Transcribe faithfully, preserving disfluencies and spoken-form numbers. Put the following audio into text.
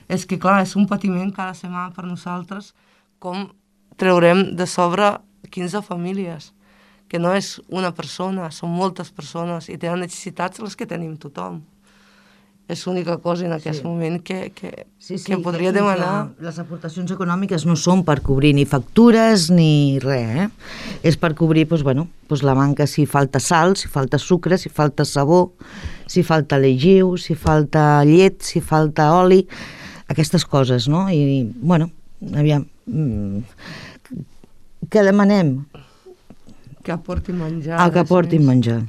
és que, clar, és un patiment cada setmana per nosaltres com traurem de sobre quinze famílies, que no és una persona, són moltes persones i tenen necessitats les que tenim tothom. És l'única cosa en aquest sí. moment que, que, sí, sí, que podria que, demanar. Que les aportacions econòmiques no són per cobrir ni factures ni res, eh? És per cobrir doncs, bueno, doncs la manca, si falta sal, si falta sucre, si falta sabó, si falta llegiu, si falta llet, si falta oli, aquestes coses, no? I, bueno, aviam, què demanem? Que aportin menjar. Ah, que aportin menjar.